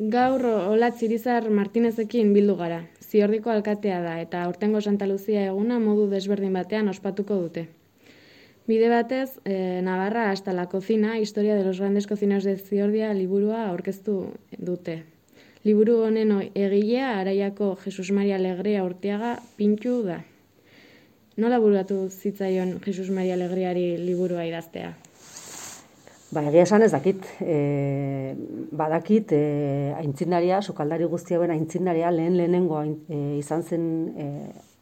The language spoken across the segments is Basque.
Gaur Olatz Irizar Martinezekin bildu gara. Ziordiko alkatea da eta aurtengo Santa Luzia eguna modu desberdin batean ospatuko dute. Bide batez, Navarra hasta la cocina, historia de los grandes cocineros de Ziordia liburua aurkeztu dute. Liburu honen egilea Araiako Jesus Maria Legrea Urteaga Pintxu da. Nola buruatu zitzaion Jesus Maria Legreari liburua idaztea? Egia esan ez dakit, badakit aintzindaria, sukaldari guztiaben aintzindaria lehenengo izan zen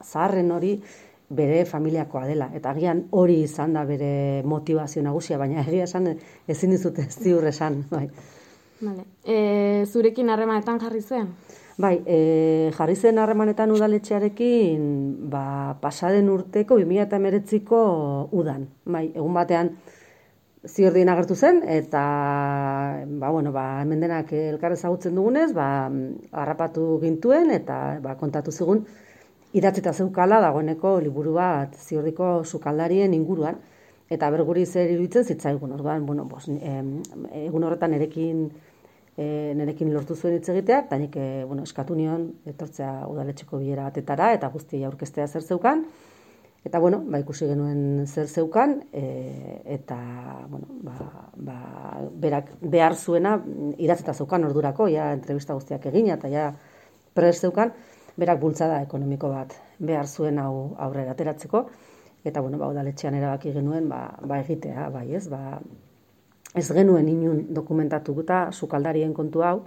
zaharren hori bere familiakoa dela. Eta agian hori izan da bere motivazio nagusia, baina egia esan ezin dizute ziur esan. Bai. Vale. Zurekin harremanetan jarri zen? Bai, jarri zen harremanetan udaletxearekin pasaden urteko 2019ko udan. Bai, egun batean Ziordien agertu zen, eta hemen denak elkar ezagutzen dugunez, harrapatu gintuen, eta kontatu zigun, idatzita zeukala dagoeneko liburu bat Ziordiko sukaldarien inguruan, eta berguri zer iruditzen zitzaigun. Orduan, egun horretan nerekin lortu zuen hitz egitea, eta nik eskatu nion etortzea udaletxeko bilera batetara, eta guztiei aurkeztea zer zeukan. Eta, ikusi genuen zer zeukan, eta, berak behar zuena idatzita zeukan ordurako, entrevista guztiak egina, eta prest zeukan, berak bultzada ekonomiko bat behar zuen hau aurrera ateratzeko, eta, udaletxean erabaki genuen, egitea, ez genuen inun dokumentatuta sukaldarien kontu hau,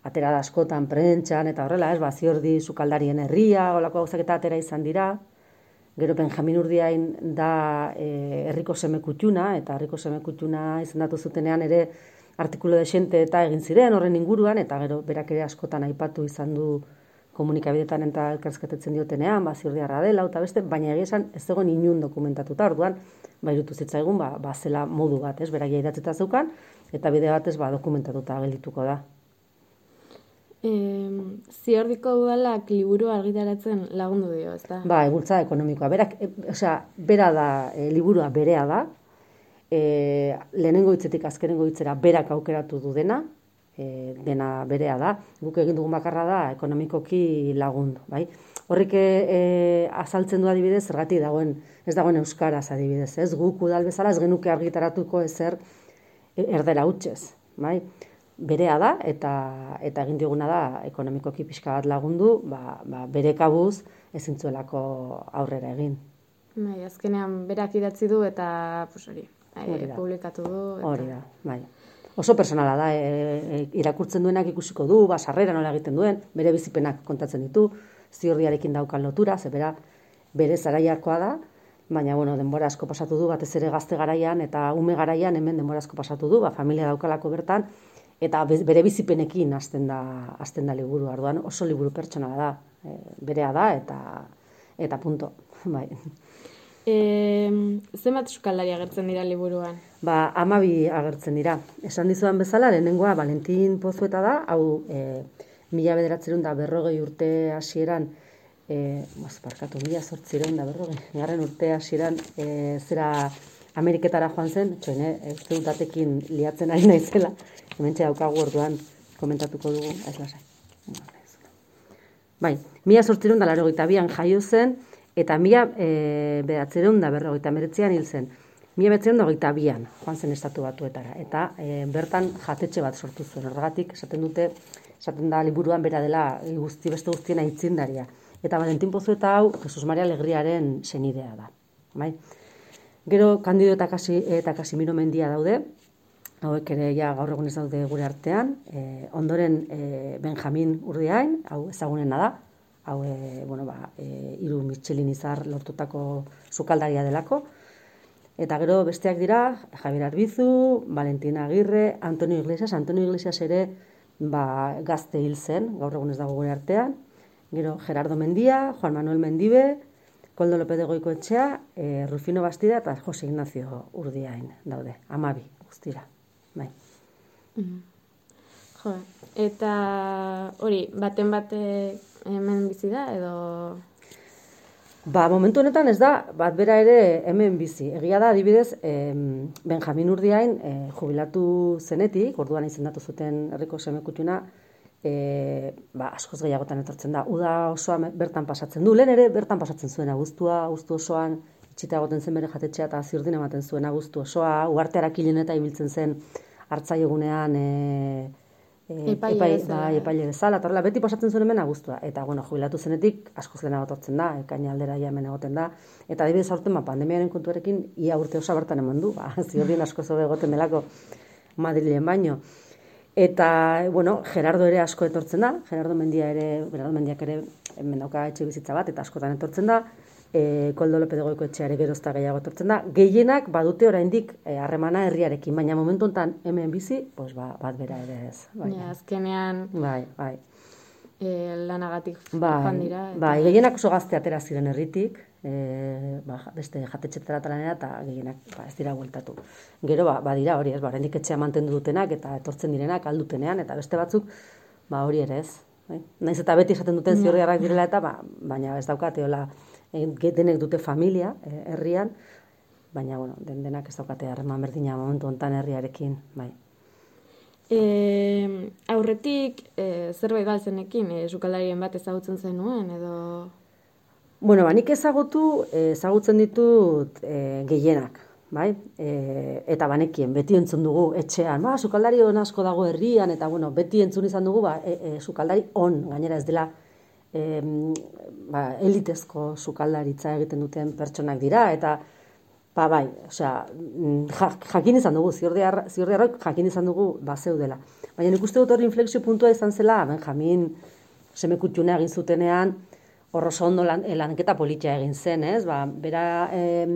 atera da askotan prentxan, eta horrela, Ziordi sukaldarien herria, olako gauzak eta atera izan dira. Gero Benjamin Urdiain da herriko semekutxuna, eta herriko semekutxuna izendatu zutenean ere artikulu desente eta egin ziren horren inguruan, eta gero berak ere askotan aipatu izan du komunikabidetan eta elkarrizketetzen diotenean, Ziordiarra dela, eta beste, baina egia esan ez zegoen inun dokumentatuta, orduan, irutu zitzaigun, zela modu bat, beraia idatzita zeukan, eta bide batez dokumentatuta geldituko da. Ziordiko udalak liburu argitaratzen lagundu dio, ezta? Bultzada ekonomikoa. Bera da, liburua berea da, lehenengo hitzetik azkenengo hitzera berak aukeratu du dena berea da, guk egin dugun bakarra da ekonomikoki lagundu, bai? Horrek azaltzen du adibidez, zergatik ez dagoen euskaraz adibidez, ez? Guk udal bezala ez genuke argitaratuko ezer erdera hutsez, bai? Berea da, eta egin dioguna da ekonomikoki pixka bat lagundu, bere kabuz ezin zuelako aurrera egin. Azkenean berak idatzi du eta publikatu du. Hori da, bai. Oso personala da, irakurtzen duenak ikusiko du, sarrera nola egiten duen, bere bizipenak kontatzen ditu, Ziordiarekin daukan lotura, bere zaraiakoa da, baina denbora asko pasatu du, batez ere gazte garaian eta ume garaian hemen denbora asko pasatu du, familia daukalako bertan, eta bere bizipenekin hasten da liburu, orduan oso liburu pertsonala da, berea da, eta punto. Bai. Zenbat sukaldari agertzen dira liburuan? 12 agertzen dira. Esan dizudan bezala, lehenengoa Valentin Pozueta da, hau 1940 urte hasieran, 1840 urte hasieran, zera Ameriketara joan zen, uste dut datekin liatzen ari naizela, hementxe daukagu orduan komentatuko dugu, ez lasai. 1882an jaio zen, eta 1949an hil zen. 1922an joan zen estatu batuetara, eta bertan jatetxe bat sortu zuen. Horregatik, esaten da liburuan bera dela beste guztien aitzindaria. Eta Valentin Pozueta hau, Jesus Maria Legriaren senidea da. Gero, Kandido eta Casimiro Mendia daude, hauek ere gaur egun ez daude gure artean, ondoren Benjamin Urdiain, hau ezagunena da, hau 3 Michelin izar lortutako sukaldaria delako, eta gero besteak dira, Javier Arbizu, Valentina Agirre, Antonio Iglesias ere gazte hil zen, gaur egun ez dago gure artean, gero Gerardo Mendia, Juan Manuel Mendibe, Koldo López de Goikoetxea, Rufino Bastida eta Jose Ignacio Urdiain daude, 12 guztira. Bai. Eta hori, baten bate hemen bizi da edo Momentu honetan ez da, bat bera ere hemen bizi. Egia da, adibidez, Benjamin Urdiain jubilatu zenetik, orduan izendatu zuten herriko semekutxuna, askoz gehiagotan etortzen da. Uda osoa bertan pasatzen du. Lehen ere bertan pasatzen zuen abuztu osoan, itxita egoten zen bere jatetxea eta ziurdin ematen zuen abuztu osoa, uharteara kilen eta ibiltzen zen hartzaiegunean epaile bezala, eta horrela beti pasatzen zuen hemen abuztua. Eta, jubilatu zenetik askoz lehenago etortzen da, ekaina aldera hemen egoten da. Eta adibidez aurten pandemiaren kontuarekin ia urte osoa bertan eman du, ziurdin askoz hobe egoten delako Madrilen baino. Eta, Gerardo ere asko etortzen da, Gerardo Mendiak ere hemen dauka etxe bizitza bat, eta askotan etortzen da, Koldo Lope de Goiko etxeare gerozta gehiago etortzen da. Gehienak badute oraindik harremana herriarekin, baina momentu honetan hemen bizi, bat bera ere ez. Azkenean lanagatik joan dira. Gehienak oso gazte atera ziren herritik, beste jatetxetara talanera, eta gehienak ez dira bueltatu. Gero, badira hori ez, oraindik etxea mantendu dutenak, eta etortzen direnak aldutenean, eta beste batzuk, hori ere ez. Naiz eta beti esaten duten ziorriarrak direla, eta baina ez daukate, denek dute familia herrian, baina denak ez daukate harreman berdina momentu honetan herriarekin. Aurretik zerbait galtzenekin sukaldarien bat ezagutzen zenuen edo? Nik ezagutzen ditut gehienak, eta banekien, beti entzun dugu etxean, sukaldari on asko dago herrian, eta beti entzun izan dugu sukaldari on, gainera ez dela elitezko sukaldaritza egiten duten pertsonak dira, eta jakin izan dugu, ziordiarrok jakin izan dugu zeudela. Baina nik uste dut hori inflexio puntua izan zela, Benjamin semekutxunea egin zutenean, oso ondo lanketa politia egin zen, ez? Bera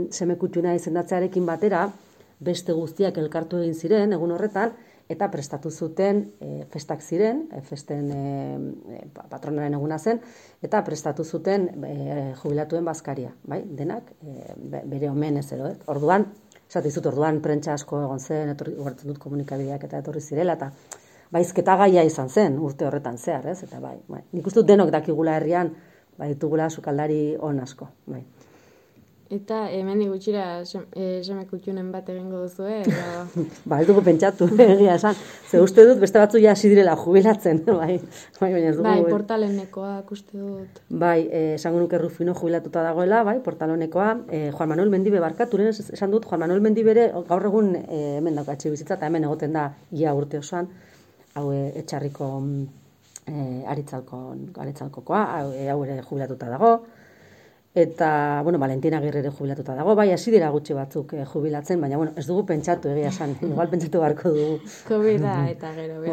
semekutxunea izendatzearekin batera, beste guztiak elkartu egin ziren, egun horretan, eta prestatu zuten festak ziren, festen patronaren eguna zen, eta prestatu zuten jubilatuen bazkaria, denak, bere omenez edo, orduan, orduan prentsa asko egon zen, ugartzen dut komunikabideak eta etorri zirela, eta baizketa gaia izan zen urte horretan zehar, ez? Eta nik uste dut denok dakigula herrian, ditugula sukaldari on asko, Eta hemendik gutxira semekutxunen bat egingo duzu, ez dugu pentsatu, egia esan. Ze uste dut, beste batzu ja hasi direla jubilatzen, Portalonekoak uste dut. Esango nuke Rufino jubilatuta dagoela, Portalonekoa, Juan Manuel Mendibe barkatu, esan dut, Juan Manuel Mendibere gaur egun hemen dauka etxe bizitza, eta hemen egoten da ia urte osoan, hau etxarriko aritzalkokoa, hau ere jubilatuta dago, eta, Valentina Agirre ere jubilatuta dago, hasi dira gutxi batzuk jubilatzen, baina, ez dugu pentsatu egia esan, igual pentsatu beharko dugu. Covid-a eta gero,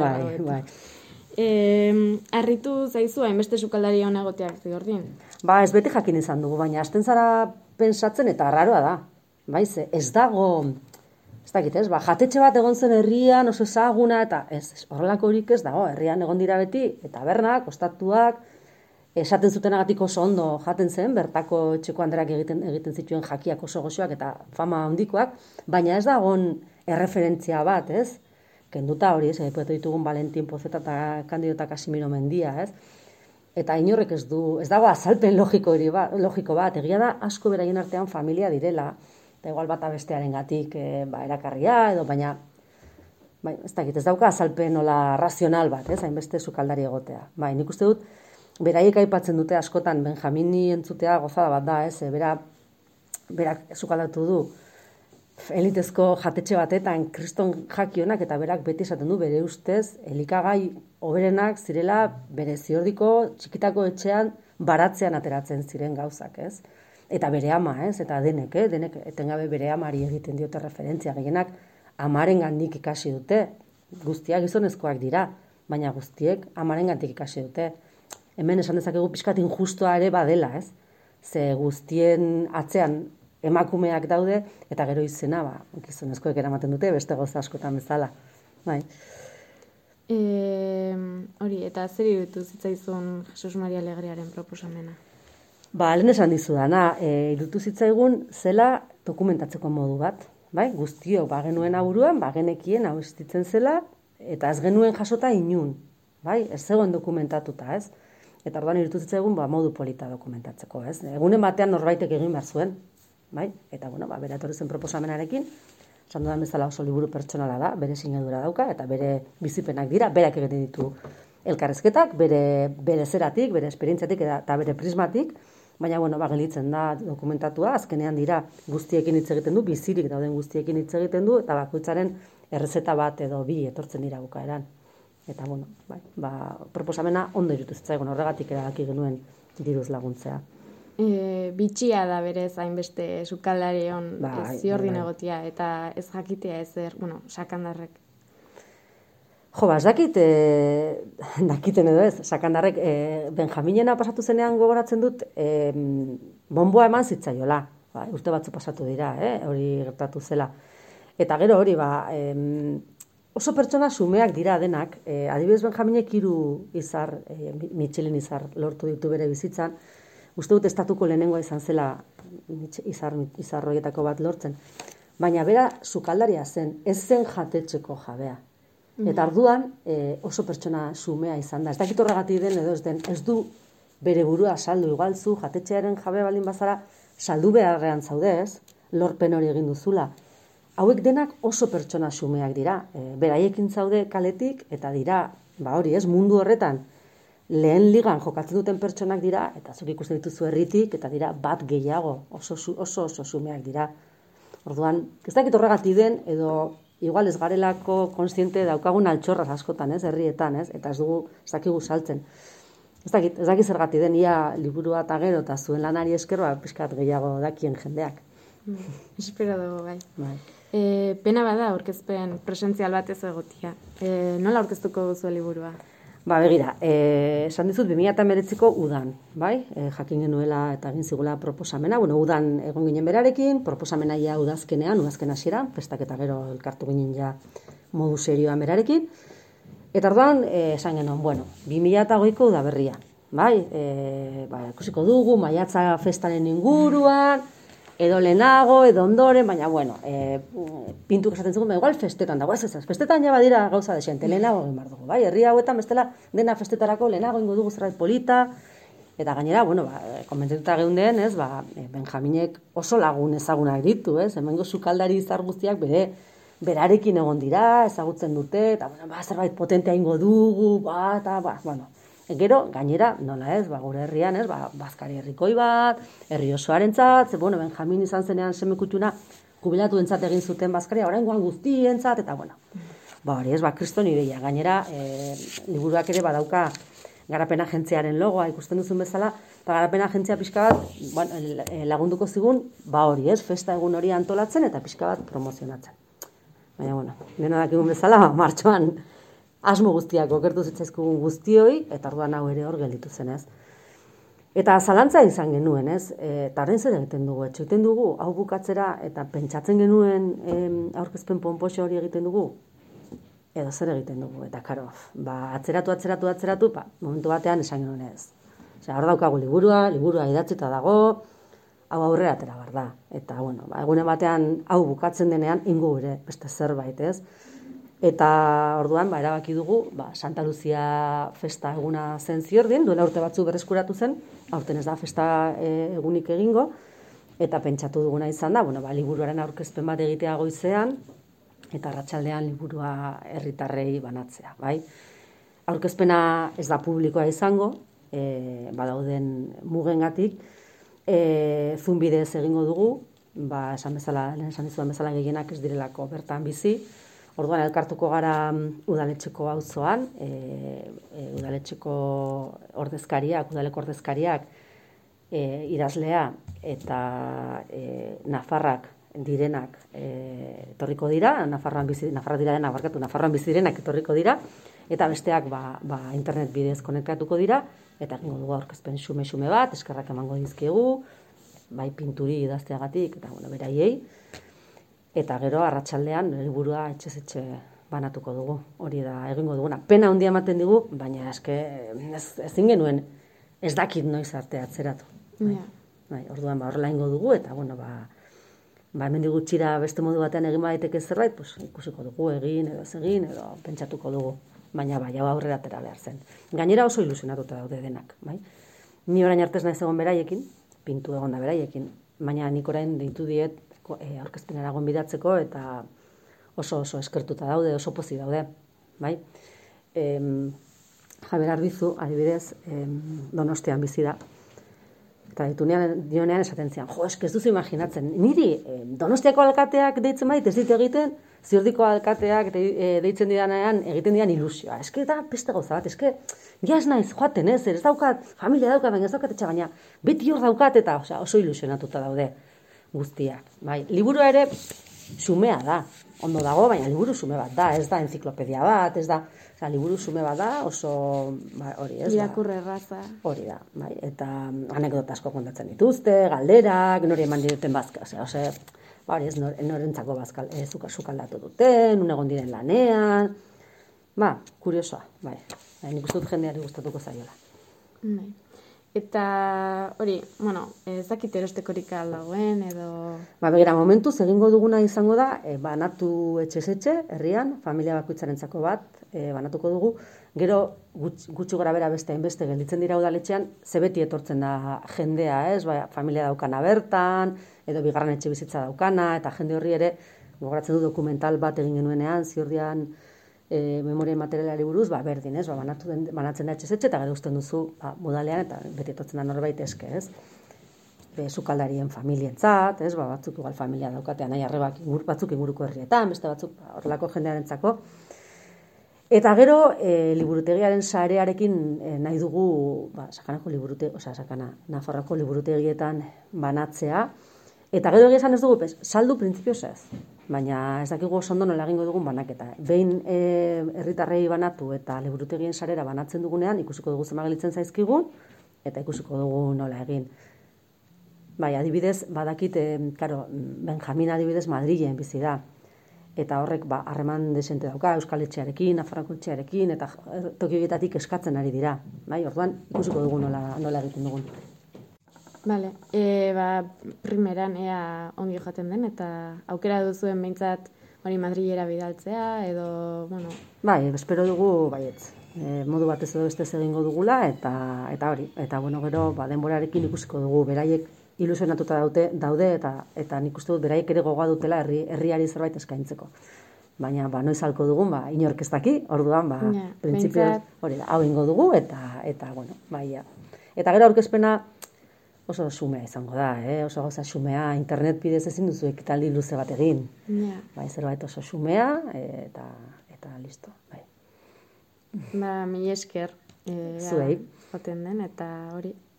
Harritu zaizu hainbeste sukaldari hona egoteak Ziordin? Ez beti jakin izan dugu, baina hasten zara pensatzen eta arraroa da. Ez dago, ez dakit ez, jatetxe bat egon zen herrian, oso ezaguna, eta horrelako horik ez dago, herrian egon dira beti, eta bernak, ostatuak, esaten zutenagatik oso ondo jaten zen, bertako etxeko handerak egiten zituen jakiak oso goxoak eta fama handikoak, baina ez dagoen erreferentzia bat, ez? Kenduta hori, epoetu ditugun Valentin Pozeta eta Candido eta Casimiro Mendia, ez? Eta inorrek ez dago azalpen logiko bat, egia da asko beraien artean familia direla, eta igual bata bestearengatik erakarria, edo baina, ez dakit, ez dauka azalpen nola razional bat, ez? Hainbeste sukaldari egotea. Nik uste dut, beraiek aipatzen dute askotan Benjamini entzutea gozada bat da, ez? Berak sukaldatu du elitezko jatetxe batetan kriston jakionak, eta berak beti esaten du bere ustez elikagai hoberenak zirela bere Ziordiko txikitako etxean baratzean ateratzen ziren gauzak, ez? Eta bere ama, ez? Eta denek etengabe bere amari egiten diote referentzia, gehienak amarengandik ikasi dute, guztiak gizonezkoak dira, baina guztiek amarengandik ikasi dute. Hemen esan dezakegu pixkat injustua ere badela, ez? Ze guztien atzean emakumeak daude, eta gero izena, gizonezkoek eramaten dute, beste gauza askotan bezala. Hori, eta zer iruditu zitzaizun Jesus Maria Alegriaren proposamena? Lehen esan dizudana, iruditu zitzaigun zela dokumentatzeko modu bat, guztiok genuen aburuan, genekien hau estitzen zela, eta ez genuen jasota inun, ez zegoen dokumentatuta, ez? Eta orduan iruditu zitzaigun modu polita dokumentatzeko, ez? Egunen batean norbaitek egin behar zuen, eta bera etorri zen proposamenarekin, esan dudan bezala oso liburu pertsonala da, bere sinadura dauka, eta bere bizipenak dira, berak egiten ditu elkarrezketak, bere zeratik, bere esperientziatik eta bere prismatik, baina, gelditzen da dokumentatua, azkenean dira guztiekin hitz egiten du, bizirik dauden guztiekin hitz egiten du, eta bakoitzaren errezeta bat edo bi etortzen dira bukaeran. Eta, proposamena ondo irutu zitzaigun, horregatik erabaki genuen diruz laguntzea. Bitxia da berez hainbeste sukaldari hon ziordin egotia, eta ez jakitea ezer, sakandarrek. Ez dakiten edo ez, sakandarrek, Benjaminena pasatu zenean gogoratzen dut, bonboa eman zitzaiola, urte batzu pasatu dira, hori gertatu zela. Eta gero hori, oso pertsona xumeak dira denak, adibidez Benjaminek 3 izar, Michelin izar lortu ditu bere bizitzan, uste dut estatuko lehenengoa izan zela izar horietako bat lortzen, baina bera sukaldaria zen, ez zen jatetxeko jabea. Eta orduan oso pertsona xumea izan da. Ez dakit horregatik den edo ez den, ez du bere burua saldu, igual zu jatetxearen jabe baldin bazara saldu beharrean zaudez, lorpen hori egin duzula. Hauek denak oso pertsona xumeak dira. Beraiekin zaude kaletik eta dira, hori ez, mundu horretan lehen ligan jokatzen duten pertsonak dira, eta zuk ikusten dituzu herritik, eta dira bat gehiago, oso xumeak dira. Orduan, ez dakit horregatik den edo igual ez garelako konstiente daukagun altxorraz askotan, herrietan, eta ez dakigu saltzen. Ez dakit zergatik den, ia liburua eta gero, eta zuen lanari esker, pixkat gehiago dakien jendeak. Espero dugu, bai. Pena bada aurkezpen presentzial bat ez egotia. Nola aurkeztuko duzu liburua? Begira, esan dizut 2019ko udan, bai? Jakin genuela eta egin zigula proposamena. Udan egon ginen berarekin, proposamena ja udazken hasiera, festak eta gero elkartu ginen ja modu serioan berarekin. Eta orduan, esan genuen, 2008ko udaberria, bai? Ikusiko dugu, maiatza festaren inguruan, edo lehenago, edo ondoren, baina, pintuk esaten zugun, igual festetan dago, festetan ja badira gauza desente, lehenago egin behar dugu, bai, herri hauetan bestela dena festetarako lehenago ingo dugu zerbait polita, eta gainera, konbentzituta geunden, Benjaminek oso lagun ezagunak ditu, hemengo sukaldari izar guztiak berarekin egon dira, ezagutzen dute, eta, zerbait potentea ingo dugu, Gero, gainera, nola ez, gure herrian, bazkari herrikoi bat, herri osoarentzat, Benjamin izan zenean semekutuna jubilatuentzat egin zuten bazkaria, oraingoan guztientzat, eta hori ez, kriston ideia. Gainera, liburuak ere badauka garapen agentziaren logoa ikusten duzun bezala, eta garapen agentzia pixka bat lagunduko zigun, hori ez, festa egun hori antolatzen eta pixka bat promozionatzen. Baina, dena dakigun bezala, martxoan, asmo guztiak okertu zitzaizkugun guztioi, eta orduan hau ere hor gelditu zen, ez. Eta zalantza izan genuen, ez, eta horrein zer egiten dugu, egiten dugu, hau bukatzera, eta pentsatzen genuen aurkezpen ponpoxo hori egiten dugu, edo zer egiten dugu, eta karo, atzeratu, momentu batean esan genuen ez. Hor daukagu liburua idatzita dago, hau aurrera atera behar da, eta, egune batean hau bukatzen denean, ingo ere beste zerbait, ez. Eta orduan, erabaki dugu, Santa Lucia festa eguna zen Ziordin, duela urte batzu berreskuratu zen, aurten ez da festa egunik egingo, eta pentsatu duguna izan da, liburuaren aurkezpen bat egitea goizean, eta arratsaldean liburua herritarrei banatzea, bai? Aurkezpena ez da publikoa izango, badauden mugengatik, Zoom bidez egingo dugu, esan dizudan bezala gehienak ez direlako bertan bizi. Orduan elkartuko gara udaletxeko auzoan, udaletxeko udaleko ordezkariak, idazlea eta nafarrak direnak etorriko dira, nafarroan bizi direnak etorriko dira, eta besteak internet bidez konektatuko dira, eta egingo dugu aurkezpen xume bat, eskerrak emango dizkiegu, bai pinturi idazteagatik, eta beraiei, eta gero arratsaldean liburua etxez-etxe banatuko dugu, hori da egingo duguna. Pena handia ematen digu, baina ezin genuen ez dakit noiz arte atzeratu. Orduan horrela egingo dugu, eta hemendik gutxira beste modu batean egin daiteke zerbait, ikusiko dugu egin edo ez egin, edo pentsatuko dugu. Baina hau aurrera atera behar zen. Gainera oso ilusionatuta daude denak. Ni orain arte ez naiz egon beraiekin, pintu egon da beraiekin, baina nik orain deitu diet aurkezpenera gonbidatzeko, eta oso eskertuta daude, oso pozik daude. Javier Arbizu, adibidez, Donostian bizi da. Eta dionean esaten zian, eske ez duzu imaginatzen, niri Donostiako alkateak deitzen bait, ez dit egiten, Ziordiko alkateak deitzen didanean egiten didan ilusioa. Eske da beste gauza bat, eske ja ez naiz joaten, ez daukat, familia daukat, baina ez daukat etxe, baina beti hor daukat eta oso ilusionatuta daude guztiak. Bai, liburua ere xumea da, ondo dago, baina liburu xume bat da, ez da enziklopedia bat, ez da, liburu xume bat da, oso, hori ez da. Irakurre erraza. Hori da, bai, eta anekdota asko kontatzen dituzte, galderak, nori eman diruten bazka, hori ez, norentzako bazkal, zukaldatu duten, un egon diren lanean, kuriosoa, bai, nik uste dut jendeari gustatuko zaiola. Bai. Eta hori, ez dakit erostekorik dagoen edo... Begira, momentuz egingo duguna izango da, banatu etxe, herrian, familia bakoitzarentzako bat, banatuko dugu, gero gutxi gora bera beste gelditzen dira udaletxean, ze beti etortzen da jendea, ez? Familia daukana bertan, edo bigarren etxe bizitza daukana, eta jende horri ere, gogoratzen du dokumental bat egin genuenean, Ziordian memoria materialari buruz, berdin, ez? Banatzen da etxe, eta gero usten duzu modalean, eta beti etortzen da norbait eske, ez? Sukaldarien familientzat, ez? Batzuk igual familia daukatean, nahi arrebak batzuk inguruko herrietan, beste batzuk horrelako jendearentzako. Eta gero, liburutegiaren sarearekin nahi dugu, Sakanako Nafarroako liburutegietan banatzea, eta gero esan ez dugu, saldu printzipioz ez, baina ez dakigu oso ondo nola egingo dugun banaketa. Behin herritarrei banatu eta liburutegien sarera banatzen dugunean, ikusiko dugu zema gelitzen zaizkigun, eta ikusiko dugu nola egin. Bai, adibidez, badakit, Benjamin adibidez Madrilen bizi da. Eta horrek harreman desente dauka Euskal Etxearekin, Nafarroako Etxearekin, eta toki horietatik eskatzen ari dira. Bai, orduan ikusiko dugu nola egiten dugun. Bale, primeran ea ongi joaten den, eta aukera duzuen behintzat hori Madrilera bidaltzea, edo, Bai, espero dugu, baietz, modu batez edo bestez egingo dugula, eta hori, eta gero denborarekin ikusiko dugu, beraiek ilusionatuta daude, eta nik uste dut beraiek ere gogoa dutela herriari zerbait eskaintzeko. Baina, noiz halko dugun, inork ez daki, orduan, printzipioz, hori da, hau ingo dugu, eta Eta gero aurkezpena oso xumea izango da, oso gauza xumea, internet bidez ezin duzu ekitaldi luze bat egin. Zerbait oso xumea, eta listo. Mila esker, zuei. joten den, eta hori,